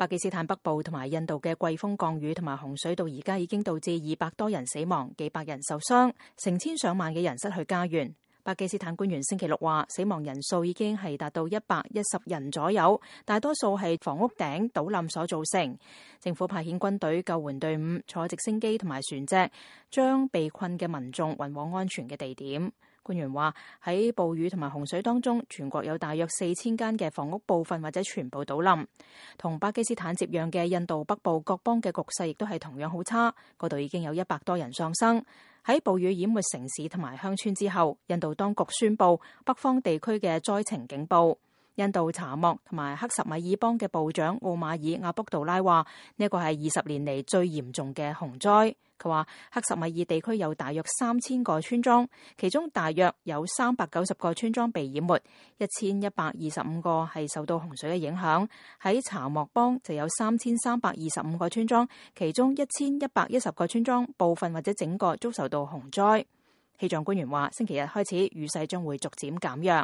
巴基斯坦北部同埋印度嘅季風降雨同埋洪水到而家已經導致200多人死亡，幾百人受傷，成千上萬嘅人失去家園。巴基斯坦官員星期六話，死亡人數已經係達到110人左右，大多數係房屋頂倒冧所造成。政府派遣軍隊、救援隊伍、坐直升機同埋船隻，將被困嘅民眾運往安全嘅地點。官員話，喺暴雨同埋洪水當中，全國有大約4000間嘅房屋部分或者全部倒冧。同巴基斯坦接壤嘅印度北部各邦嘅局勢亦都係同樣好差，嗰度已經有100多人喪生。喺暴雨淹沒城市同埋鄉村之後，印度當局宣布北方地區嘅災情警報。印度查謨同埋克什米爾邦嘅部長奧馬爾阿卜杜拉話，呢個係20年嚟最嚴重嘅洪災。佢話克什米爾地區有大約3000個村莊，其中大約有390個村莊被淹沒，1125個係受到洪水嘅影響。喺查謨邦就有3325個村莊，其中1110個村莊部分或者整個遭受到洪災。氣象官員話，星期日開始雨勢將會逐漸減弱。